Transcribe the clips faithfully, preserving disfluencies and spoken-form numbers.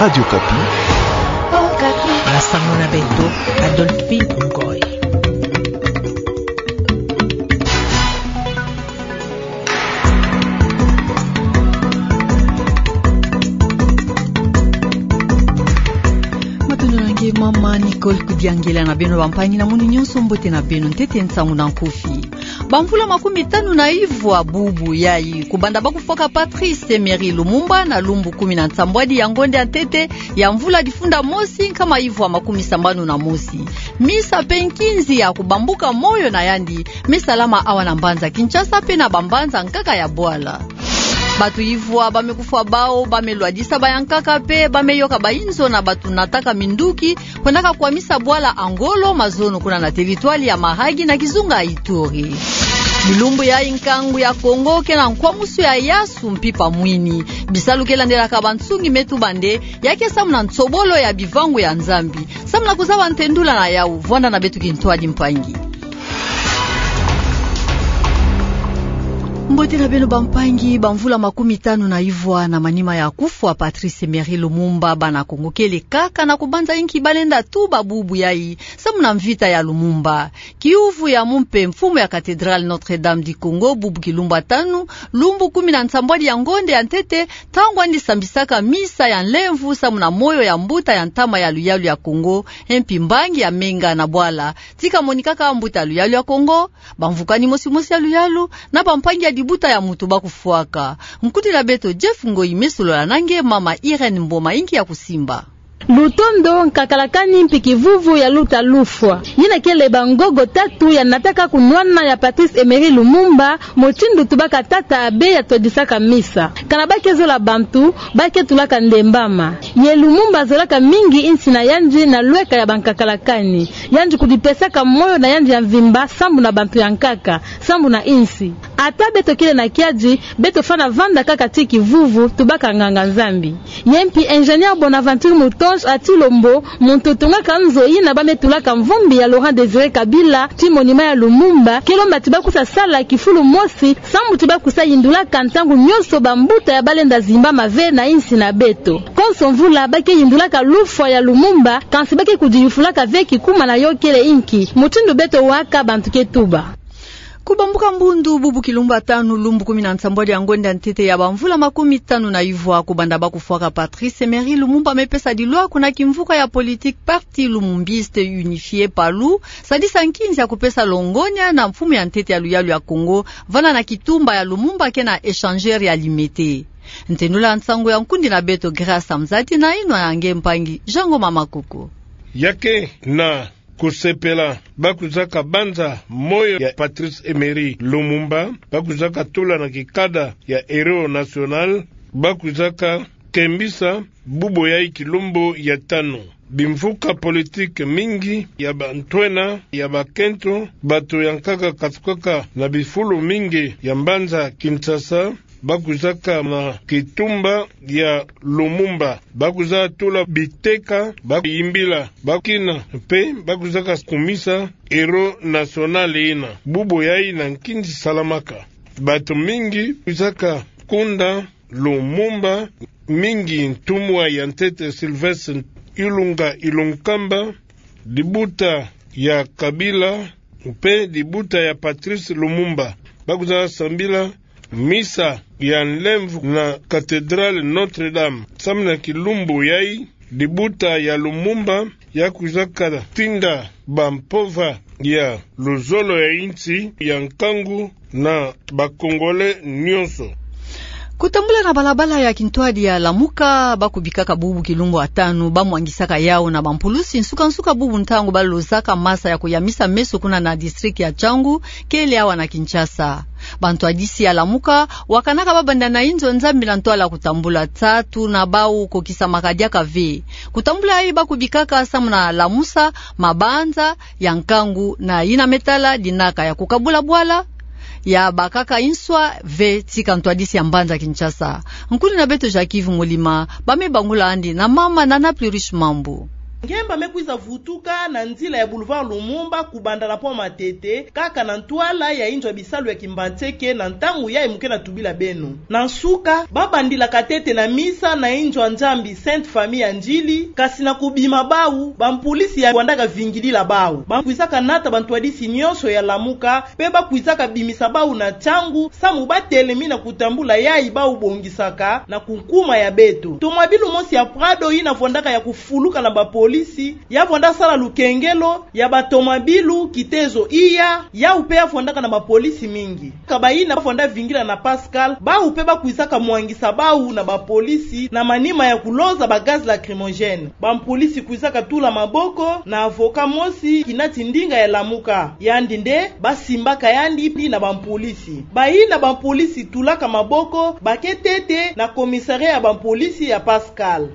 Radio Okapi. Okapi. Basango na beto, Adolphine Ngoy. Matondo na nge mama Nicole Kudiangela na beno bampangi na munu nyonso, mbote na beno. Ntete nsangu na nkufi. Bamvula makumi tanu na ivwa bubu yai kubanda ba kufwaka Patrice Emery Lumumba na lumbu kumi na nsambwadi ya ngonde ya ntete ya mvula difunda mosi nkama ivwa makumi sambanu na mosi. Misa mpe nkinzi ya kubambuka moyo na yandi mesalama awa na mbanza Kinshasa mpe na bambanza nkaka ya bwala. Bato ivwa bamekufwa bawu, bamelwadisa bayankaka mpe bameyoka bayinzo na bato nataka minduki kwendaka kwamisa bwala Angolo mazono kuna na territoire ya Mahagi na kizunga Ituri. Bilumbu yai nkangu ya Kongo ke na nkwamusu ya yasu mpimpa mwini. Bisalu ke landelaka bansungi me tuba nde ya ke samu na nsobolo ya bivangu ya Nzambi. Samu na kuzaba ntendula na yawu, vwanda na beto kintwadi mpangi. Mbote na beno bampangi. Bamvula makumi tanu na ivwa na manima ya kufwa Patrice Emery Lumumba, bana Kongo kele kaka na kubanza inki balenda tuba bubu yai samu na mvita ya Lumumba. Kiuvu ya mumpe mfumu ya cathédrale Notre-Dame du Congo, bubu kilumbu tanu, lumbu kumi na nsambwadi ya ngonde ya ntete, ntangu andi sambisaka misa ya nlemvu samu na moyo ya mbuta ya ntama ya luyalu ya Kongo, mpe mbangi ya menga na bwala, tika monikaka mbuta ya luyalu ya Kongo, bamvukani mosi mosi ya luyalu, na bampangi ya dibuta ya mutu bakufwaka. Nkudi na beto Jeff Ngoyi mesolola na nge mama Irène Mboma inki ya kusimba. Lutondo, nkakalakani mpe kivuvu ya luta lufwa. Yina kele bangogo tatu ya nataka kunwana ya Patrice Emery Lumumba, mutindu tubaka tata abe ya twadisaka misa. Kana ba ke zola bantu, ba ke tulaka ndembama. Ye Lumumba azolaka mingi insi na yandi na lweka ya bankakalakani. Yandi kudipesaka moyo na yandi ya mvimba sambu na bantu ya nkaka, sambu na insi. Ata beto kele na kiadi, beto fwana vanda kaka ti kivuvu, tubaka nganga-Nzambi. Ye mpi ingénieur Bonaventure Moutonge a Thilombo, muntu tungaka nzo yina ba me tulaka mvumbi ya Laurent Désiré Kabila, ti monument ya Lumumba, ke lomba ti ba kusa sala kifulu mosi, sambu ti ba kusa yindulaka ntangu nyonso bambuta ya balenda zimbama ve na insi na beto. Konso mvula ba ke yindulaka lufwa ya Lumumba, kansi ba ke kudiyufulaka ve kikuma na yo kele inki, mutindu beto waka bantu ke tuba. Kubambuka mbundu bubu kilumbu tanu, lumbu kumi na nsambwadi ya ngonde ya ntete ya bamvula makumi tanu na ivwa kubanda ba kufwaka Patrice Emery Lumumba, mepesa dilwa kuna kimvuka ya politique Parti Lumumbiste Unifié, PALU, sadisa nkinzi ya kupesa longonya na mfumu ya ntete ya luyalu ya Kongo, vana na kitumba ya Lumumba ke na échangeur ya limete. Ntendula nsangu ya nkundi na beto Grâce Amzati na inwa ya nge mpangi Jean Ngoma Makoko. Ya ke na kusepela, ba kwizaka banza moyo ya Patrice Emery Lumumba, ba kwizaka tula na kikada ya héros national, ba kwizaka kembisa bubu yai kilumbu ya tanu. Bimvuka politique mingi ya bantwenya, ya bakento, bato ya nkaka katukaka na bifulu mingi ya mbanza Kinshasa, ba kwizaka na kitumba ya Lumumba. Ba kwiza tula biteka, ba yimbila, ba kina, mpe ba kwizaka kumisa héros national yina. Bubu yai na nkinzi salamaka. Bato mingi kwizaka kunda Lumumba, mingi ntumwa ya ntete Sylvestre Ilunga Ilunkamba, dibuta ya Kabila, mpe dibuta ya Patrice Lumumba. Ba kwiza sambila misa ya nlemvu na cathédrale Notre-Dame. Samu na kilumbu yai, dibuta ya Lumumba ya kwizaka tinda bampova ya luzolo ya insi ya nkangu na ba Congolais nyonso. Kutambula na balabala ya kintwadi ya Lamuka, ba kubikaka bubu kilumbu ya tanu, ba mwangisaka yau na bampulusi nsuka-nsuka bubu ntangu ba lozaka masa ya kuyamisa meso kuna na district ya Tshangu, kele awa na Kinshasa. Bantwadisi ya Lamuka wakanaka ba banda na inzo Nzambi na ntwala kutambula, nsatu na bau kokisamaka diaka ve. Kutambula yai ba kubikaka samu na lamusa mabanza ya nkangu na yina me tala dinaka ya kukabula bwala, ya bakaka inswa ve tika ntwadisi ya mbanza Kinshasa. Nkulu na beto Jacques Yves Mulima, ba me bangula andi na mama Nana Plurish Mambu. Ngemba me kwiza vutuka na nzila ya Boulevard Lumumba kubanda na Pont Matete, kaka na ntwala ya inzo ya bisalu ya Kimbanseke na ntangu yayi mu ke na tubila beno. Na nsuka, ba bandilaka ntete na misa na inzo ya Nzambi Sainte Famille ya Ndjili, kasi na kubima bawu, bampolisi ya vwandaka vingidila bawu. Ba kwizaka nata bantwadisi nyonso ya Lamuka, mpe ba kwizaka bimisa bawu na ntiangu, samu ba telemi na kutambula yayi bawu bongisaka na kunkuma ya beto. Tomabilu mosi ya Prado yina vwandaka ya kufuluka na bapolisi, ya vwanda sala lukengelo ya batomabilu, kitezo iya, yawu mpe ya vwandaka na bapolisi mingi. Kaka bayina ba vwanda vingila na Pascal, bawu mpe ba kwizaka mwangisa bawu na bapolisi na manima ya kuloza ba gaz lacrymogène. Bampolisi kwizaka tula maboko na avocat mosi kinati ndinga ya Lamuka. Yandi nde ba simbaka yandi mpi na bampolisi. Bayina bampolisi tulaka maboko ba ke ntete na commissariat ya bampolisi ya Pascal.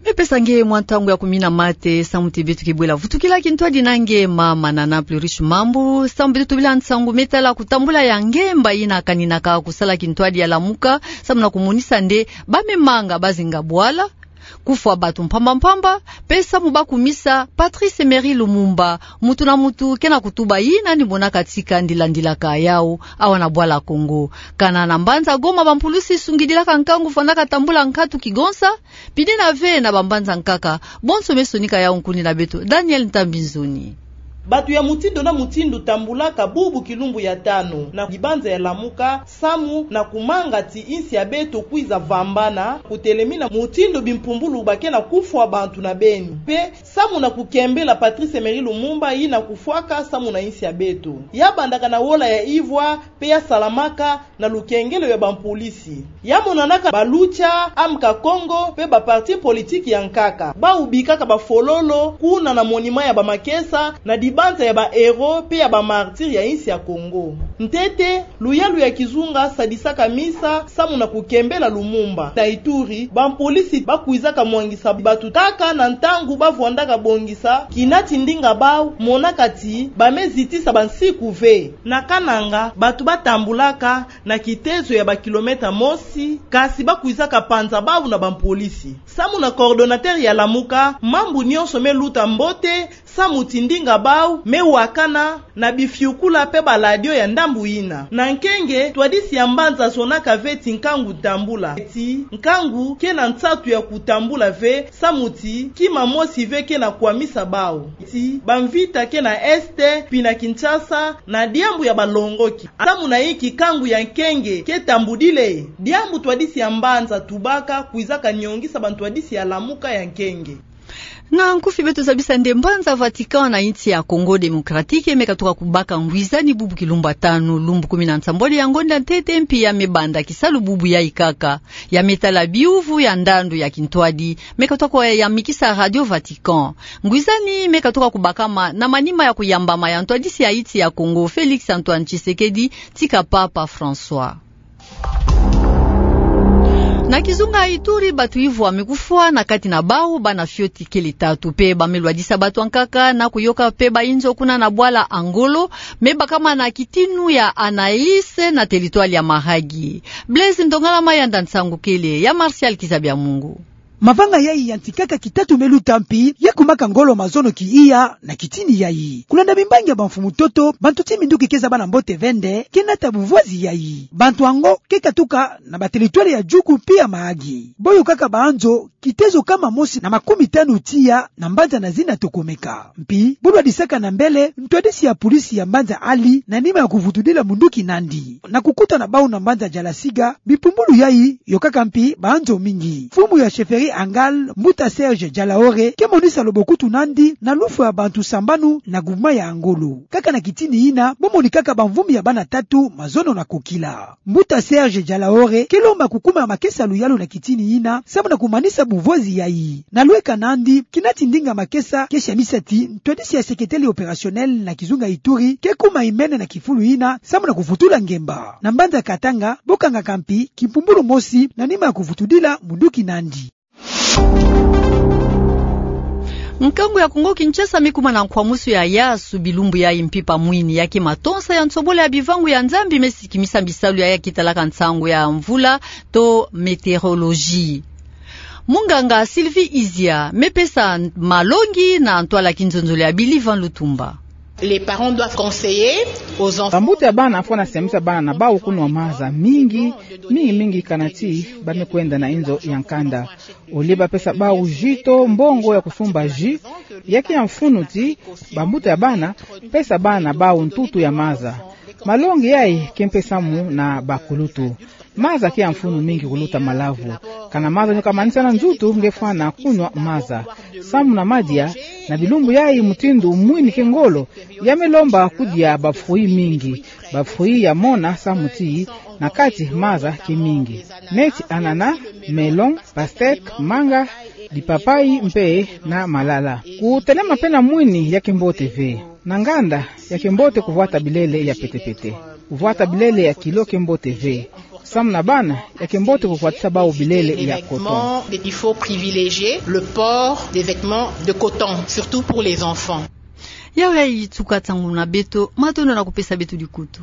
Me pesa nge mwa ntangu ya kumina mate, samu ti beto ke bwela vutukila kintwadi na nge Mama Nana Plurish Mambu, samu beto tubila nsangu me tala kutambula ya ngemba yina kaninaka kusala kintwadi ya Lamuka, samu na kumonisa nde ba me manga bazinga bwala, kufwa bantu mpamba mpamba, mpe samu ba kumisa Patrice Emery Lumumba, muntu na muntu ke na kutuba yina ni monaka tika ndilandilaka yawu awa na bwala Kongo. Kana na mbanza Goma bampulusi sungidilaka nkangu vwandaka tambula nkatu kigonsa, pidina ve na bambanza nkaka, bonso me sonika yawu nkuni na beto Daniel Ntambi Nzoni. Bantu ya mutindu na mutindu tambulaka bubu kilumbu ya tanu na dibanza ya Lamuka, samu na kumanga ti insi ya beto kwiza vambana, kutelemina mutindu bimpumbulu ba ke na kufwa bantu na beni. Mpe samu na kukembela Patrice Emery Lumumba yina kufwaka samu na insi ya beto. Ya bandaka na wola ya ivwa, mpe ya salamaka na lukengelo ya bampolisi. Ya monanaka ba Lucha, Amka Kongo, mpe ba parti politique ya nkaka. Bawu bikaka bafololo kuna na monument ya bamakesa, na dibanza ya ba héros mpe ya ba martyrs ya insi ya Kongo. Ntete, luyalu ya kizunga sadisaka misa samu na kukembela Lumumba. Na Ituri, bampolisi ba kwizaka mwangisa bantu kaka na ntangu ba vwandaka bongisa kinati ndinga bawu, monaka ti ba me zitisa bansiku ve. Na Kananga, bantu ba tambulaka na kitezo ya ba kilomètre mosi, kasi ba kwizaka panza bawu na bampolisi. Samu na coordonnateur ya Lamuka, mambu nyonso me luta mbote, samu ti ndinga bawu me wakana na bifiukula mpe ba radio ya ndambu yina. Na Nkenge, ntwadisi ya mbanza zonaka ve ti nkangu tambula. Ti nkangu ke na nsatu ya kutambula ve, samu ti kima mosi ve ke na kwamisa bawu. Ti bamvita ke na Est, mpi na Kinshasa, na diambu ya balongoki. Samu na inki nkangu ya Nkenge ke tambudile? Diambu ntwadisi ya mbanza tubaka kwizaka nyongisa bantwadisi ya Lamuka ya Nkenge. Na nkufi beto zabisa nde mbanza Vatican na insi ya Congo Démocratique me katuka kubaka ngwizani bubu kilumbu ya tanu, lumbu kumi na nsambwadi ya ngonda ntete, mpi ya me banda kisalu bubu yayi kaka. Ya me tala biuvu ya ndandu ya kintwadi me katuka kuyamikisa Radio Vatican. Ngwizani me katuka kubakama na manima ya kuyambama ya ntwadisi ya insi ya Congo, Félix Antoine Tshisekedi, tika Papa François. Na kizunga ya Ituri, bantu ivwa me kufwa, na kati na bawu bana fioti kele tatu, mpe ba me lwadisa bantu ya nkaka na kuyoka mpe ba inzo kuna na bwala Angolo, me bakama na kitinu ya Anaïs na territoire ya Mahagi. Blaise Ndongala Mayanda, nsangu kele ya Martial Kizabiamungu. Mavanga yayi ya nti kaka kitatu me luta mpi ya kumaka ngolo mazono ki iya na kitini yayi. Kulanda mimbangi ya bamfumu ntoto, bantu ti minduki ke zaba na mbote ve nde ke nata buvwazi yayi. Bantu yango ke katuka na ba territoire ya Djugu mpi ya Mahagi. Bo yokaka banzo, kitezo nkama mosi na makumi tanu tiya na mbanza na zina Tokomeka. Mpi bo lwadisaka na mbele ntwadisi ya pulisi ya mbanza Ali na nima ya kuvutudila munduki Nandi. Na kukuta na bawu na mbanza Jalasiga, bipumbulu yayi yokaka mpi banzo mingi. Mfumu ya chefferie Angal, Mbuta Serge Jalaore, ke monisa lobokutu Nandi na lufwa ya bantu sambanu na groupement ya Angolo. Kaka na kitini yina, bo monikaka bamvumbi ya bana tatu mazono na kokila. Mbuta Serge Jalaore ke lomba kukuma makesa luyalu na kitini yina, samu na kumanisa buvwazi yayi. Na lweka Nandi, kinati ndinga makesa ke siamisa ti ntwadisi ya secrétaire opérationnel na kizunga Ituri ke kuma imene na kifulu yina, samu na kuvutula ngemba. Na mbanza Katanga, bo kangaka mpi kimpumbulu mosi na nima ya kuvutudila munduki Nandi. Nkangu ya Kongo Kinshasa me kuma na nkwamusu ya yasu bilumbu yayi, mpi pa mwini ya ke matonsa ya nsobolo ya bivangu ya Nzambi me sikimisa bisalu ya ya ke talaka nsangu ya mvula to météorologie. Munganga Sylvie Izia, me pesa malongi na ntwala kinzonzolo ya Billy Van Lutumba. Les parents doivent conseiller aux enfants. Bambuta ya bana fwana sembisa bana bau kunwa maza mingi, mingi mingi kana ti ba me kwenda na inzo ya nkanda. Olie ba pesa bau ji to mbongo ya kusumba ji, ya kia mfunu ti bambuta ya bana pesa bana bau ntutu ya maza. Malongi yayi ke mpesa mu na bakulutu. Maza kia mfunu mingi kuluta malavu. Kana maza nyo kamanisa na nzutu nge fwana kunwa maza. Samu na madia, na bilumbu yayi mutindu mwini ke ngolo, ya me lomba kudia ba fruits mingi. Ba fruits ya mona samu ti na kati maza ke mingi. Neti ananas, melon, pastèque, manga, dipapayi mpe na malala. Kutelema mpe na mwini ya ke mbote ve. Na nganda, ya ke mbote kuvwata bilele ya petepete. Kuvwata bilele ya kilo ke mbote ve. Samu na bana, ya ke mbote kuvwatisa bau bilele ya coton. Il faut privilégier le port des vêtements de coton, surtout pour les enfants. Yawu yayi tuka nsangu na beto, matondo na kupesa beto dikutu.